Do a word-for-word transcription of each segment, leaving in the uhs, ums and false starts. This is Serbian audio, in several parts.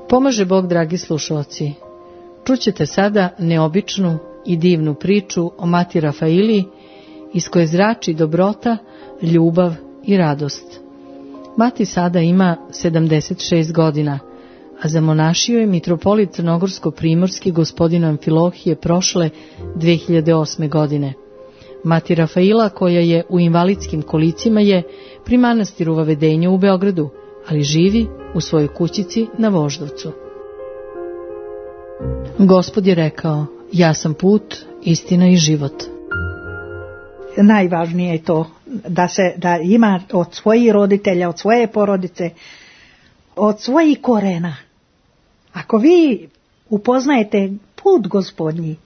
Pomaže Bog, dragi slušalci. Čućete sada neobičnu i divnu priču o Mati Rafaili, iz koje zrači dobrota, ljubav i radost. Mati sada ima sedamdeset šest godina, a zamonašio je mitropolit crnogorsko-primorski gospodin Amfilohije prošle dve hiljade osme. godine. Mati Rafaila, koja je u invalidskim kolicima, je pri manastiru Vavedenja u Beogradu, ali živi u svojoj kućici na Voždovcu. Gospod je rekao: ja sam put, istina i život. Najvažnije je to da se da ima od svojih roditelja, od svoje porodice, od svojih korena. Ako vi upoznajete put Gospodnji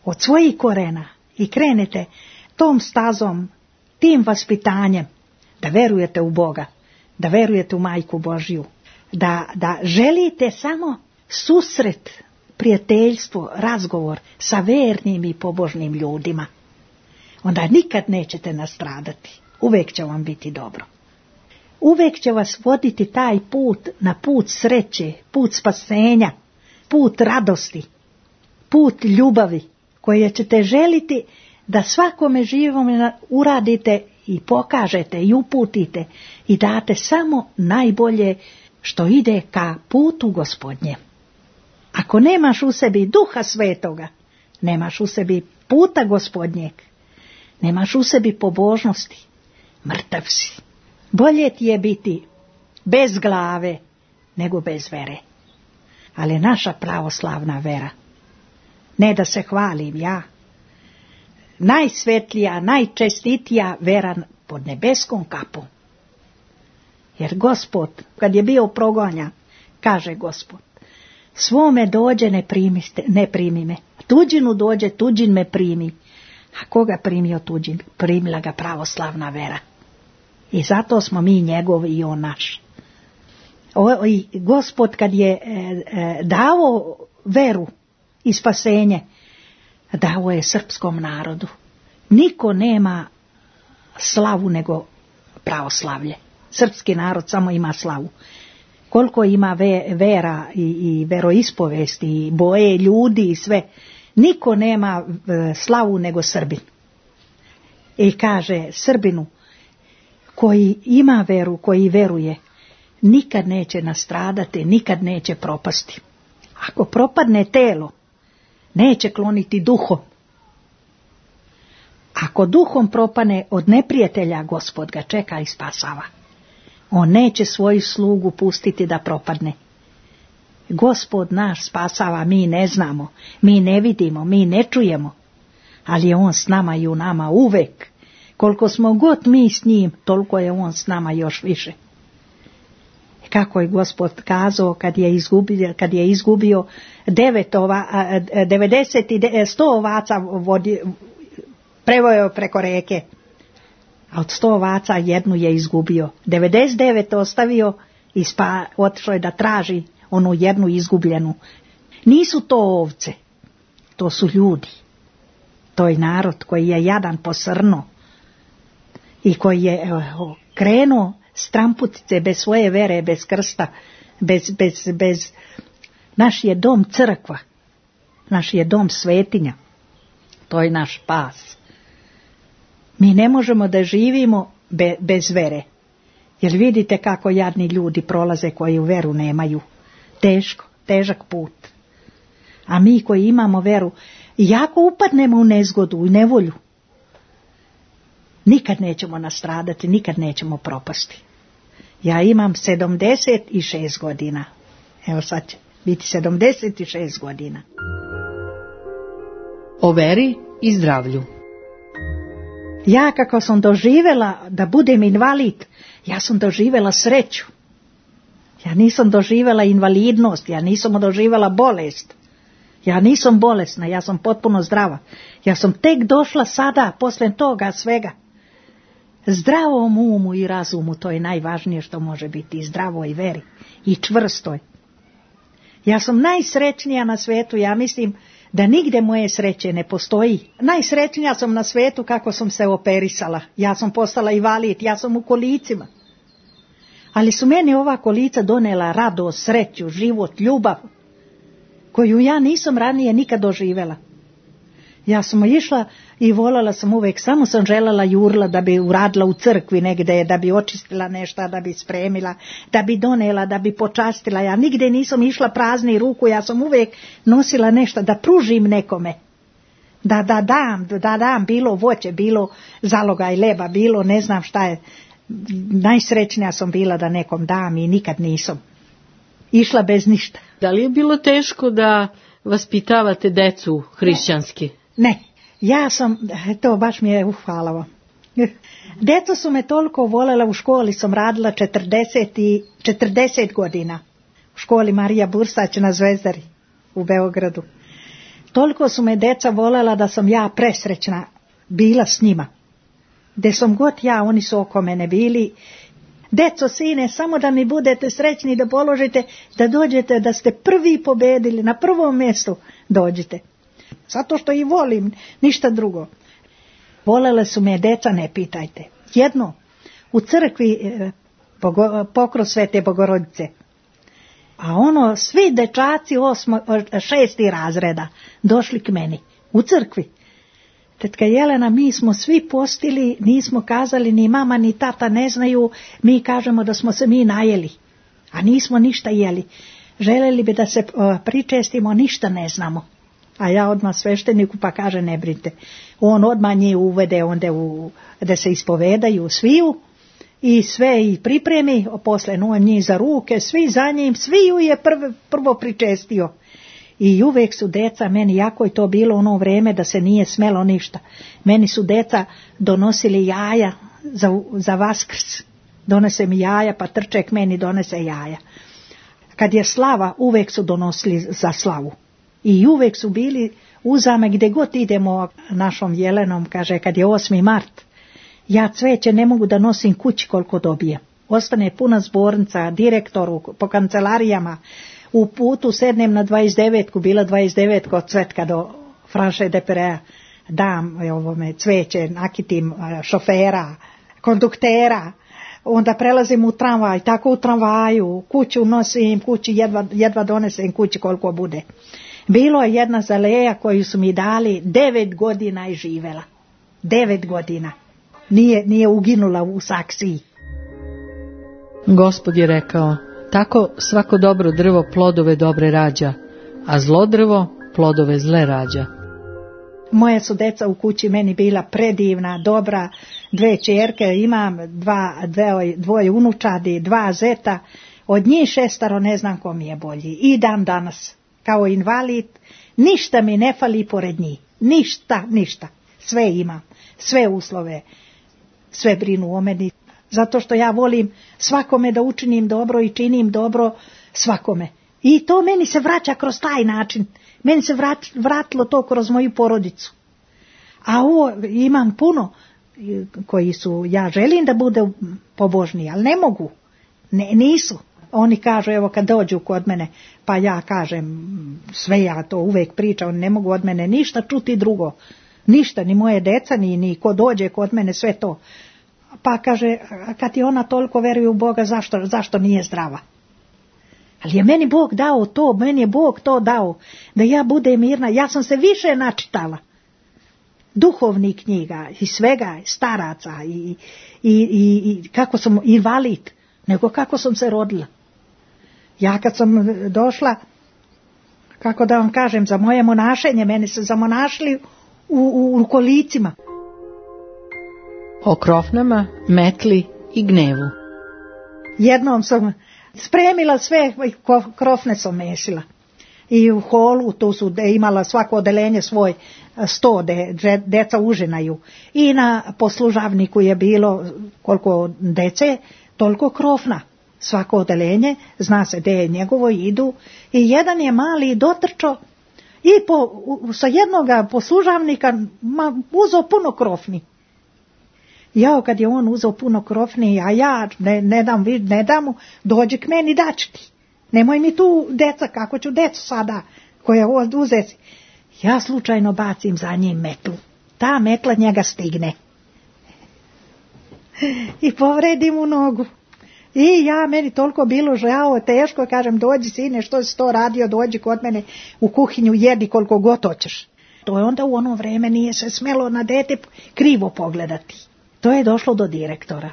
od svojih korena i krenete tom stazom, tim vaspitanjem, da verujete u Boga, da verujete u Majku Božju, da, da želite samo susret, prijateljstvo, razgovor sa vernim i pobožnim ljudima, onda nikad nećete nastradati. Uvijek će vam biti dobro. Uvijek će vas voditi taj put na put sreće, put spasenja, put radosti, put ljubavi, koje ćete želiti da svakome živome uradite i pokažete i uputite i date samo najbolje što ide ka putu Gospodnje. Ako nemaš u sebi Duha Svetoga, nemaš u sebi puta Gospodnjeg, nemaš u sebi pobožnosti, mrtav si. Bolje ti je biti bez glave nego bez vere. Ali naša pravoslavna vera, ne da se hvalim ja, najsvetlija, najčestitija vera pod nebeskom kapom. Jer Gospod, kad je bio progonja, kaže Gospod: svome dođe, ne primi, ne primi me. Tuđinu dođe, tuđin me primi. A koga primio tuđin? Primila ga pravoslavna vera. I zato smo mi njegovi i on naš. O, i Gospod kad je e, e, dao veru i spasenje, dao je srpskom narodu. Niko nema slavu nego pravoslavlje. Srpski narod samo ima slavu. Koliko ima ve, vera i, i veroispovesti i boje ljudi i sve, niko nema e, slavu nego Srbin. I kaže Srbinu koji ima veru, koji veruje, nikad neće nastradati, nikad neće propasti. Ako propadne telo, neće kloniti duhom. Ako duhom propane od neprijatelja, Gospod ga čeka i spasava. On neće svoju slugu pustiti da propadne. Gospod naš spasava, mi ne znamo, mi ne vidimo, mi ne čujemo, ali je on s nama i u nama uvek. Koliko smo god mi s njim, toliko je on s nama još više. Kako je Gospod kazao kad je izgubio, kad je izgubio devet ova, devedeset, sto ovaca vodi, prevojao preko reke, a od sto ovaca jednu je izgubio. devedeset devet ostavio i spa, otišao je da traži onu jednu izgubljenu. Nisu to ovce, to su ljudi. To je narod koji je jadan posrno i koji je evo, krenuo stramputice bez svoje vere, bez krsta, bez, bez, bez... Naš je dom crkva, naš je dom svetinja, to je naš spas. Mi ne možemo da živimo be, bez vere, jer vidite kako jadni ljudi prolaze koji u veru nemaju. Teško, težak put. A mi koji imamo veru, jako upadnemo u nezgodu, u nevolju, nikad nećemo nastradati, nikad nećemo propasti. Ja imam sedamdeset šest godina. Evo sad će biti sedamdeset šest godina. O veri i zdravlju. Ja kako sam doživjela da budem invalid, ja sam doživjela sreću. Ja nisam doživjela invalidnost, ja nisam doživjela bolest. Ja nisam bolesna, ja sam potpuno zdrava. Ja sam tek došla sada, poslije toga svega. Zdravom umu i razumu, to je najvažnije što može biti, i zdravoj veri, i čvrstoj. Ja sam najsrećnija na svijetu, ja mislim da nigde moje sreće ne postoji. Najsrećnija sam na svijetu kako sam se operisala. Ja sam postala invalid, ja sam u kolicima. Ali su meni ova kolica donela radost, sreću, život, ljubav, koju ja nisam ranije nikad doživjela. Ja sam išla i voljela sam uvijek, samo sam željela jurla da bi uradila u crkvi negdje, da bi očistila nešto, da bi spremila, da bi donela, da bi počastila. Ja nigdje nisam išla prazni ruku, ja sam uvijek nosila nešto, da pružim nekome. Da, da dam, da dam, bilo voće, bilo zalogaj leba, bilo ne znam šta je. Najsrećnija sam bila da nekom dam i nikad nisam išla bez ništa. Da li je bilo teško da vaspitavate decu hrišćanski? Ne, ja sam, to baš mi je uhvalavo. Deca su me toliko voljela, u školi sam radila četrdeset, i, četrdeset godina. U školi Marija Bursać na Zvezdari u Beogradu. Toliko su me deca voljela da sam ja presrećna bila s njima. Gde sam god ja, oni su oko mene bili. Deco, sine, samo da mi budete srećni, da položite, da dođete, da ste prvi pobedili, na prvom mjestu dođite. Zato što i volim, ništa drugo. Volele su me deca, ne pitajte. Jedno, u crkvi pokrov Svete Bogorodice. A ono, svi dečaci osmo, šesti razreda došli k meni u crkvi. Tetka Jelena, mi smo svi postili, nismo kazali, ni mama ni tata ne znaju, mi kažemo da smo se mi najeli, a nismo ništa jeli. Željeli bi da se pričestimo, ništa ne znamo. A ja odmah svešteniku pa kaže, ne brinite. On odmah njih uvede onda u, da se ispovedaju sviju i sve i pripremi, posle on njih za ruke, svi za njim, sviju je prv, prvo pričestio. I uvijek su deca, meni jako je to bilo ono vreme da se nije smelo ništa. Meni su deca donosili jaja za, za Vaskrs. Donese mi jaja, pa trček meni donese jaja. Kad je slava, uvijek su donosili za slavu. I uvijek su bili uzame gdje god idemo našom Jelenom, kaže, kad je osmi mart, ja cveće ne mogu da nosim kući koliko dobijem. Ostane puna zbornica, direktoru, po kancelarijama. U putu sednem na dvadeset devetku, bila dvadeset devetka od Cvetka do Franše de Perea, dam ovome cveće, nakitim šofera, konduktera, onda prelazim u tramvaj, tako u tramvaju, kuću nosim, kući jedva, jedva donesem kući koliko bude. Bilo je jedna zaleja koju su mi dali, devet godina i živela. Devet godina. Nije, nije uginula u saksiji. Gospod je rekao, tako svako dobro drvo plodove dobre rađa, a zlo drvo plodove zle rađa. Moje su deca u kući meni bila predivna, dobra, dve čerke, imam dva, dve, dvoje unučadi, dva zeta, od njih šestaro ne znam ko mi je bolji. I dan danas, kao invalid, ništa mi ne fali pored njih, ništa, ništa, sve imam, sve uslove, sve brinu o meni. Zato što ja volim svakome da učinim dobro i činim dobro svakome. I to meni se vraća kroz taj način. Meni se vrat, vratilo to kroz moju porodicu. A ovo imam puno koji su, ja želim da bude pobožniji, ali ne mogu. Ne, nisu. Oni kažu, evo kad dođu kod mene, pa ja kažem, sve ja to uvijek pričam, oni ne mogu od mene ništa čuti drugo. Ništa, ni moje deca, ni, ni ko dođe kod mene, sve to. Pa kaže, kad ti ona toliko veruje u Boga, zašto, zašto nije zdrava? Ali je meni Bog dao to, meni je Bog to dao, da ja budem mirna. Ja sam se više načitala. Duhovnih knjiga i svega, staraca i, i, i, i kako sam invalid, nego kako sam se rodila. Ja kad sam došla, kako da vam kažem, za moje monašenje, meni se zamonašili u, u, u kolicima. O krofnama, metli i gnevu. Jednom sam spremila sve, krofne sam mesila. I u holu, tu su de, imala svako odelenje svoj sto, de, de, deca užinaju. I na poslužavniku je bilo koliko dece, toliko krofna. Svako odelenje, zna se gde je njegovo, idu. I jedan je mali dotrčao i po, sa jednoga poslužavnika ma, uzeo puno krofni. Jao, kad je on uzeo puno krofni, a ja ne, ne dam, ne dam mu, dođi k meni, daću ti. Nemoj mi tu deca, kako ću decu sada, koja uzeti. Ja slučajno bacim za njim metlu. Ta metla njega stigne. I povredim u nogu. I ja, meni toliko bilo žao, teško, kažem, dođi sine, što si to radio, dođi kod mene u kuhinju, jedi koliko god hoćeš. To je onda u ono vreme nije se smjelo na dete krivo pogledati. To je došlo do direktora.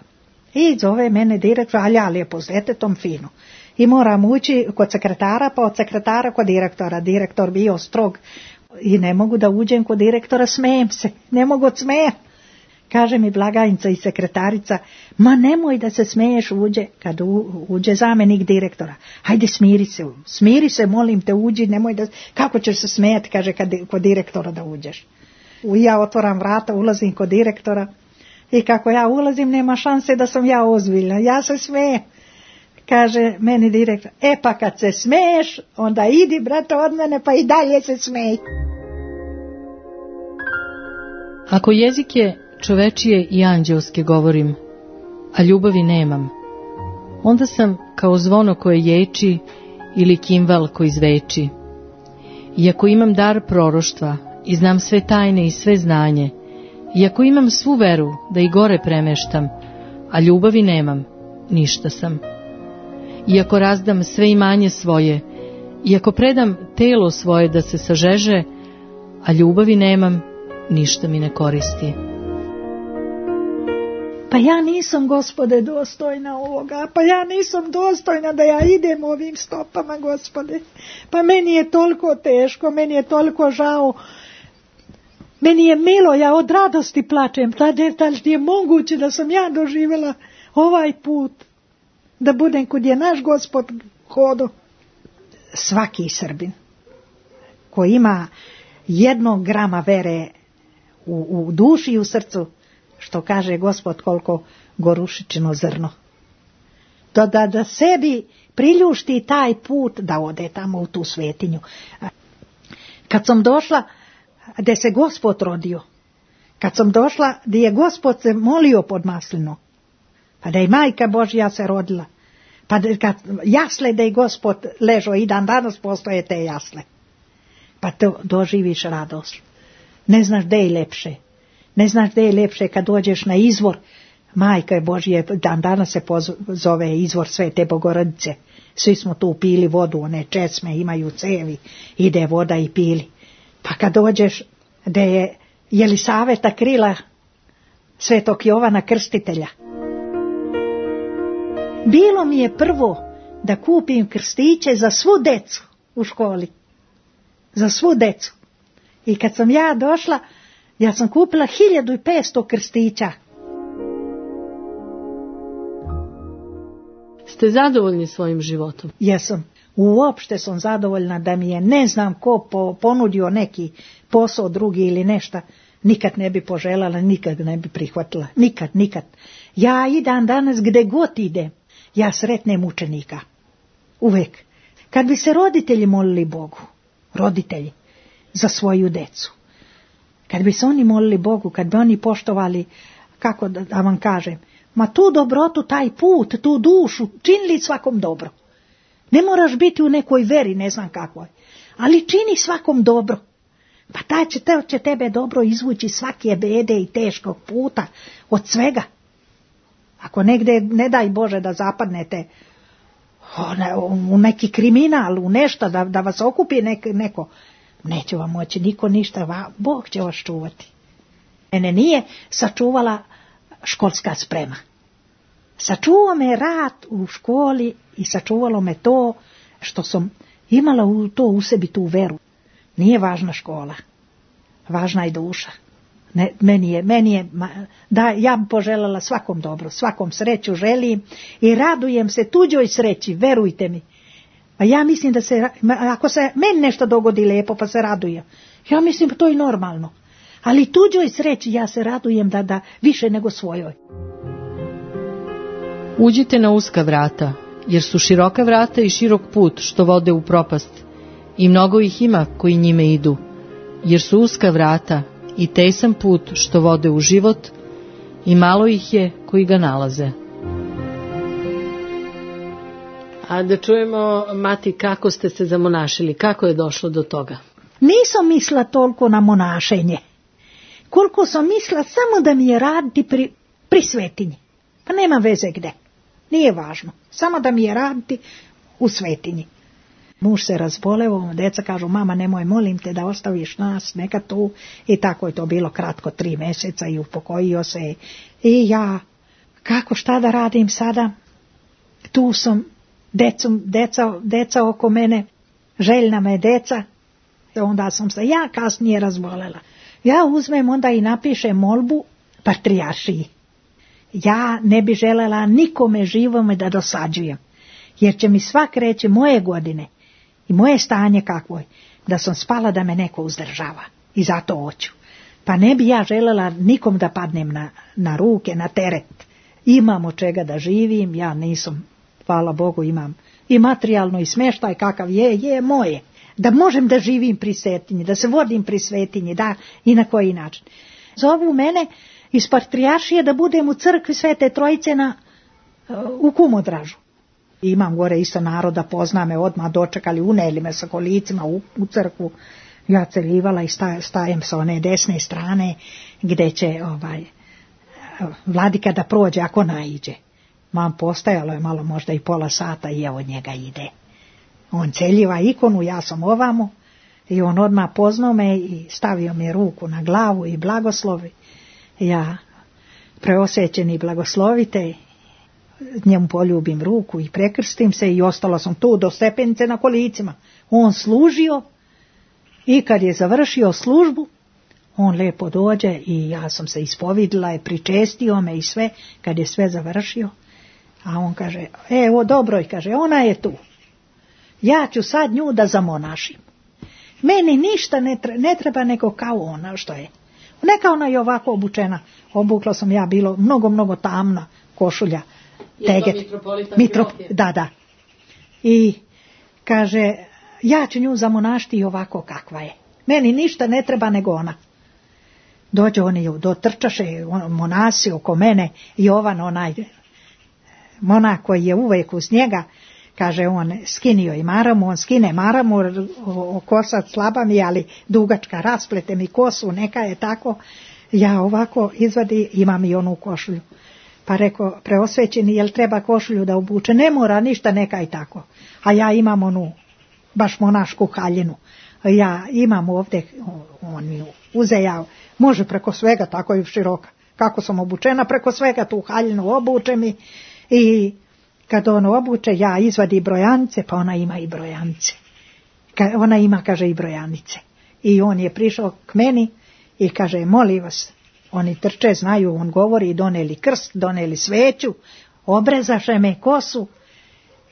I zove mene direktor, ali ja lijepo s detetom fino. I moram ući kod sekretara, pa od sekretara kod direktora. Direktor bio strog i ne mogu da uđem kod direktora, smijem se, ne mogu smijem. Kaže mi blagajnica i sekretarica, ma nemoj da se smiješ, uđe, kad u, uđe zamjenik direktora. Hajde smiri se, smiri se, molim te, uđi, nemoj da, kako ćeš se smijeti, kaže, kad, kod direktora da uđeš. Ja otvoram vrata, ulazim kod direktora i kako ja ulazim, nema šanse da sam ja ozbiljna, ja se smijem. Kaže meni direktor, e pa kad se smiješ, onda idi brate od mene pa i dalje se smij. Ako jezik je čovečije i anđelske govorim, a ljubavi nemam, onda sam kao zvono koje ječi ili kimval koji zveči. Iako imam dar proroštva i znam sve tajne i sve znanje, iako imam svu veru da i gore premeštam, a ljubavi nemam, ništa sam. Iako razdam sve imanje svoje, iako predam telo svoje da se sažeže, a ljubavi nemam, ništa mi ne koristi. Pa ja nisam, Gospode, dostojna ovoga, pa ja nisam dostojna da ja idem ovim stopama, Gospode. Pa meni je toliko teško, meni je toliko žao, meni je milo, ja od radosti plačem, da je moguće da sam ja doživjela ovaj put, da budem kud je naš Gospod hodo. Svaki Srbin koji ima jednog grama vere u, u duši i u srcu, što kaže Gospod, koliko gorušičino zrno, da, da, da sebi priljušti taj put da ode tamo u tu svetinju. Kad sam došla gdje se Gospod rodio, kad sam došla gdje je Gospod se molio pod maslinu, pa da je Majka Božja se rodila, pa da, kad jasle da je Gospod ležao, i dan danas postoje te jasle, pa to doživiš radost. Ne znaš gdje je lepše. Ne znaš gdje je lepše kad dođeš na izvor. Majka Božje, dan danas se zove izvor Svete Bogorodice. Svi smo tu pili vodu, one česme imaju cevi, ide voda i pili. Pa kad dođeš gdje je Jelisaveta krila Svetog Jovana Krstitelja. Bilo mi je prvo da kupim krstiće za svu decu u školi. Za svu decu. I kad sam ja došla, ja sam kupila hiljadu i petsto krstića. Ste zadovoljni svojim životom? Jesam. Uopšte sam zadovoljna da mi je, ne znam ko po, ponudio neki posao drugi ili nešto, nikad ne bi poželjela, nikad ne bi prihvatila. Nikad, nikad. Ja i dan danas gdje god idem, ja sretnem učenika. Uvek. Kad bi se roditelji molili Bogu, roditelji, za svoju decu, kad bi se oni molili Bogu, kad bi oni poštovali, kako da, da vam kažem, ma tu dobrotu, taj put, tu dušu, činili svakom dobro. Ne moraš biti u nekoj veri, ne znam kakvoj, ali čini svakom dobro. Pa taj će, te, će tebe dobro izvući svake bede i teškog puta, od svega. Ako negdje, ne daj Bože da zapadnete u neki kriminal, u nešto, da, da vas okupi nek, neko, neće vam moći niko ništa, Bog će vas čuvati. Mene nije sačuvala školska sprema. Sačuvao me rad u školi i sačuvalo me to što sam imala u to u sebi tu veru. Nije važna škola, važna je duša. Ne, meni je, meni je, da, ja bi poželjela svakom dobro, svakom sreću želim i radujem se tuđoj sreći, verujte mi. A ja mislim da se, ako se meni nešto dogodi lijepo pa se radujem, ja mislim da to je normalno. Ali tuđoj sreći ja se radujem da, da više nego svojoj. Uđite na uska vrata, jer su široka vrata i širok put što vode u propast, i mnogo ih ima koji njime idu, jer su uska vrata i tesan put što vode u život, i malo ih je koji ga nalaze. A da čujemo, mati, kako ste se zamonašili, kako je došlo do toga? Nisam mislila toliko na monašenje, koliko sam mislila samo da mi je raditi pri, pri svetinji. Pa nema veze gde. Nije važno, samo da mi je raditi u svetinji. Muž se razboleo, deca kažu, mama nemoj, molim te da ostaviš nas, neka tu. I tako je to bilo kratko, tri mjeseca i upokojio se. I ja, kako, šta da radim sada? Tu sam, decom, deca, deca oko mene, željna me deca. I onda sam se ja kasnije razbolela. Ja uzmem onda i napišem molbu patrijaršiji. Ja ne bi želela nikome živome da dosađujem, jer će mi svak reći moje godine i moje stanje kakvo je, da sam spala da me neko uzdržava i zato hoću. Pa ne bi ja želela nikom da padnem na, na ruke, na teret. Imam od čega da živim, ja nisam, hvala Bogu, imam i materijalno i smještaj kakav je, je moje. Da možem da živim pri svetinji, da se vodim pri svetinji, da i na koji način. Zovu mene iz patrijaršije da budem u crkvi Svete Trojice na, u Kumodražu. Imam gore isto naroda, pozna me, odmah dočekali, uneli me sa kolicima u, u crkvu. Ja celivala i sta, stajem sa one desne strane gdje će ovaj, vladika da prođe ako naiđe. Mam postajalo je malo, možda i pola sata i evo njega ide. On celjiva ikonu, ja sam ovamo i on odmah poznao me i stavio mi ruku na glavu i blagoslovi. Ja preosjećeni blagoslovite, njemu poljubim ruku i prekrstim se i ostala sam tu do stepenice na kolicima. On služio i kad je završio službu, on lijepo dođe i ja sam se ispovidila i pričestio me i sve, kad je sve završio. A on kaže, evo dobro, i kaže, ona je tu. Ja ću sad nju da zamonašim. Meni ništa ne treba, ne treba neko kao ona što je. Neka ona je ovako obučena. Obukla sam ja, bilo mnogo, mnogo tamna košulja. Teget. Mitrop, da, da. I kaže, ja ću nju zamonašiti ovako kakva je. Meni ništa ne treba nego ona. Dođe oni, dotrčaše monasi oko mene, Jovan, onaj monak koji je uvijek uz njega, kaže on, skinio i maramu, on skine maramu, kosa slaba mi, ali dugačka, rasplete mi kosu, neka je tako. Ja ovako izvadi, imam i onu košulju. Pa rekao, preosvećeni, jel treba košulju da obuče? Ne mora ništa, neka i tako. A ja imam onu, baš monašku haljinu. Ja imam ovdje, on mi uzejao, može preko svega, tako je široka. Kako sam obučena, preko svega tu haljinu obuče mi i kad on obuče, ja izvadi brojanice, pa ona ima i brojanice. Ona ima, kaže, i brojanice. I on je prišao k meni i kaže, molim vas, oni trče, znaju, on govori, doneli krst, doneli sveću, obrezaše me kosu.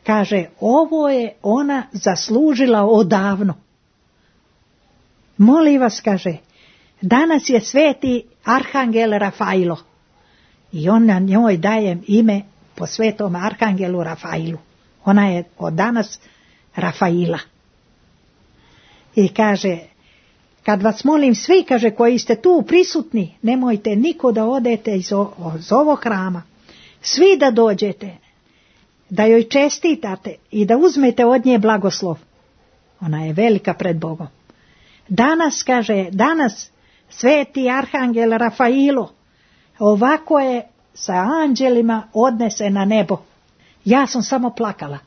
Kaže, ovo je ona zaslužila odavno. Molim vas, kaže, danas je sveti arhangel Rafailo. I on na njoj daje ime po svetom arhangelu Rafailu. Ona je od danas Rafaila. I kaže, kad vas molim svi, kaže, koji ste tu prisutni, nemojte niko da odete iz, o, iz ovog hrama. Svi da dođete, da joj čestitate i da uzmete od nje blagoslov. Ona je velika pred Bogom. Danas, kaže, danas sveti arhangel Rafailo ovako je sa anđelima odnese na nebo. Ja sam samo plakala.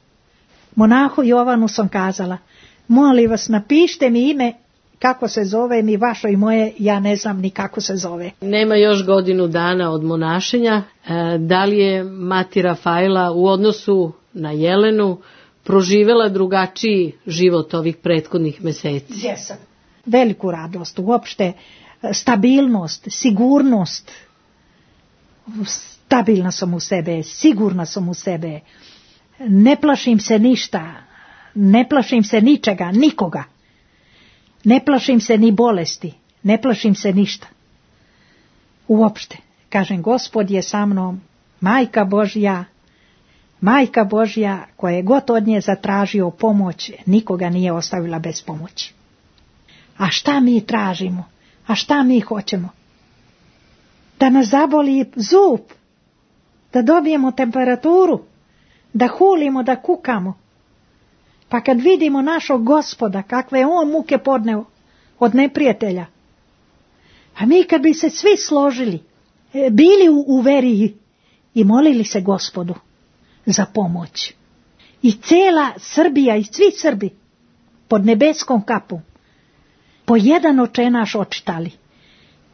Monahu Jovanu sam kazala, molim vas, napišite mi ime, kako se zove mi vaše i moje, ja ne znam ni kako se zove. Nema još godinu dana od monašenja. E, da li je mati Rafaela u odnosu na Jelenu proživjela drugačiji život ovih prethodnih mjeseci? Jesam. Veliku radost, uopšte stabilnost, sigurnost. Stabilna sam u sebe, sigurna sam u sebe. Ne plašim se ništa, ne plašim se ničega, nikoga. Ne plašim se ni bolesti, ne plašim se ništa. Uopšte, kažem, Gospod je sa mnom, Majka Božja, Majka Božja koja je god od nje zatražio pomoć, nikoga nije ostavila bez pomoći. A šta mi tražimo? A šta mi hoćemo? Da nas zaboli zub, da dobijemo temperaturu, da hulimo, da kukamo. Pa kad vidimo našog Gospoda, kakve je on muke podneo od neprijatelja, a mi kad bi se svi složili, bili u, u veri i molili se Gospodu, za pomoć. I cela Srbija i svi Srbi pod nebeskom kapom po jedan očenaš očitali.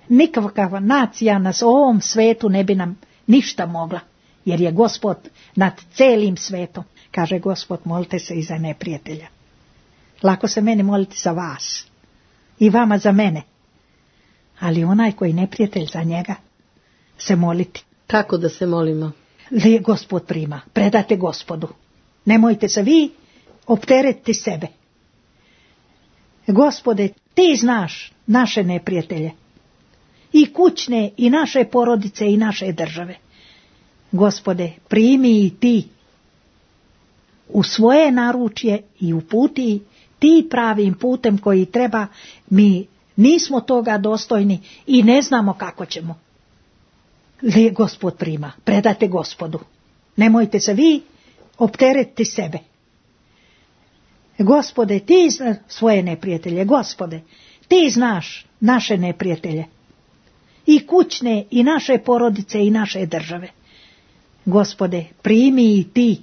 Nikakva nacija nas u ovom svetu ne bi nam ništa mogla, jer je Gospod nad celim svetom. Kaže Gospod, molite se i za neprijatelja. Lako se meni moliti za vas i vama za mene, ali onaj koji neprijatelj, za njega se moliti. Kako da se molimo? Li Gospod prima, predate Gospodu. Nemojte se vi opteretiti sebe. Gospode, ti znaš naše neprijatelje, i kućne, i naše porodice, i naše države. Gospode, primi i ti u svoje naručje i uputi ti pravim putem koji treba. Mi nismo toga dostojni i ne znamo kako ćemo. Li Gospod prima, predate Gospodu. Nemojte se vi opteretiti sebe. Gospode, ti znaš svoje neprijatelje. Gospode, ti znaš naše neprijatelje, i kućne, i naše porodice, i naše države. Gospode, primi i ti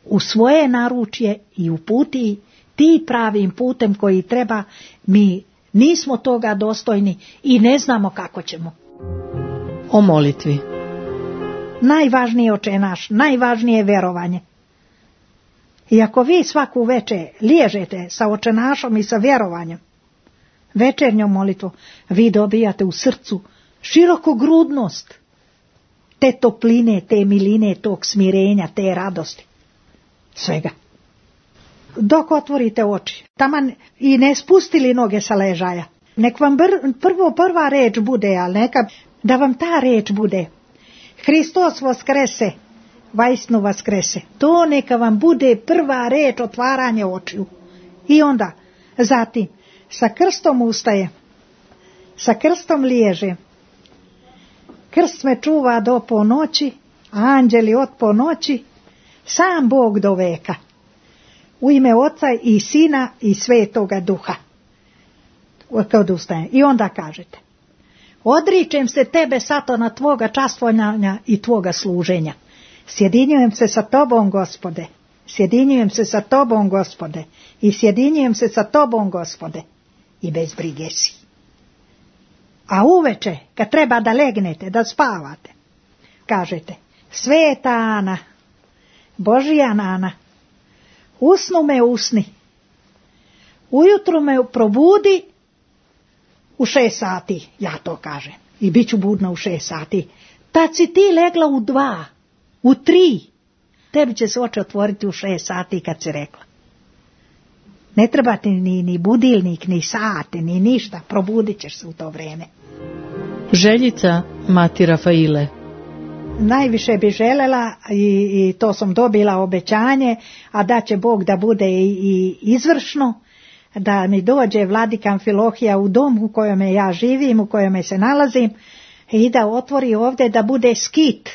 u svoje naručje i uputi ti pravim putem koji treba. Mi nismo toga dostojni i ne znamo kako ćemo. O molitvi. Najvažnije očenaš, najvažnije je verovanje. I ako vi svaku večer liježete sa očenašom i sa vjerovanjem, večernjom molitvom, vi dobijate u srcu širokogrudnost te topline, te miline, tog smirenja, te radosti, svega. Dok otvorite oči, taman i ne spustili noge sa ležaja, nek vam br- prvo prva reč bude, ali neka da vam ta reč bude: Hristos vaskrese, vajsnu vaskrese. To neka vam bude prva reč, otvaranje očiju. I onda, zatim, sa krstom ustaje, sa krstom liježe. Krst me čuva do ponoći, a anđeli od ponoći, sam Bog do veka. U ime Oca i Sina i Svetoga Duha. Kad ustaje. I onda kažete: odričem se tebe, Satana, tvoga častvovanja i tvoga služenja. Sjedinjujem se sa tobom, Gospode. Sjedinjujem se sa tobom, Gospode. I sjedinjujem se sa tobom, Gospode. I bez brige si. A uveče, kad treba da legnete, da spavate, kažete: Sveta Ana, Božija Nana, usnu me usni, ujutru me probudi u šest sati, ja to kažem, i bit ću budna u šest sati. Tad si ti legla u dva, u tri, tebi će se oči otvoriti u šest sati kad si rekla. Ne treba ti ni, ni budilnik, ni sate, ni ništa, probudit ćeš se u to vrijeme. Željica Mati Rafaile. Najviše bi želela, i, i to sam dobila obećanje, a da će Bog da bude i, i izvršno, da mi dođe vladika Amfilohija u dom u kojem ja živim, u kojem se nalazim, i da otvori ovdje da bude skit.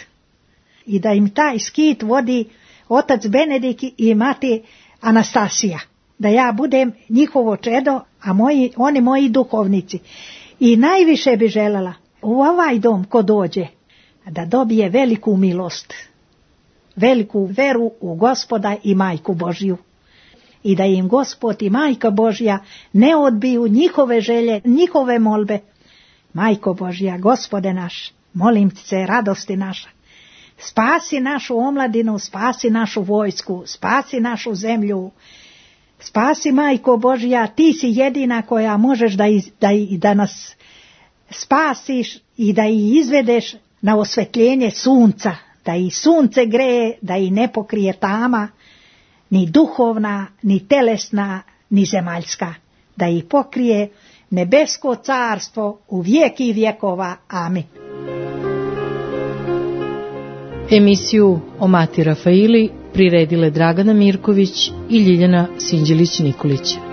I da im taj skit vodi otac Benedik i mati Anastasija. Da ja budem njihovo čedo, a moji, oni moji duhovnici. I najviše bi željela u ovaj dom ko dođe da dobije veliku milost, veliku veru u Gospoda i Majku Božju. I da im Gospod i Majka Božja ne odbiju njihove želje, njihove molbe. Majko Božja, Gospode naš, molim se, radosti naša, spasi našu omladinu, spasi našu vojsku, spasi našu zemlju, spasi, Majko Božja, ti si jedina koja možeš da, iz, da, da nas spasiš i da ih izvedeš na osvetljenje sunca, da i sunce greje, da i ne pokrije tama, ni duhovna, ni telesna, ni zemaljska, da ih pokrije nebesko carstvo u vijeki vjekova. Amin. Emisiju o Mati Rafaili priredile Dragana Mirković i Ljiljana Sinđelić-Nikolić.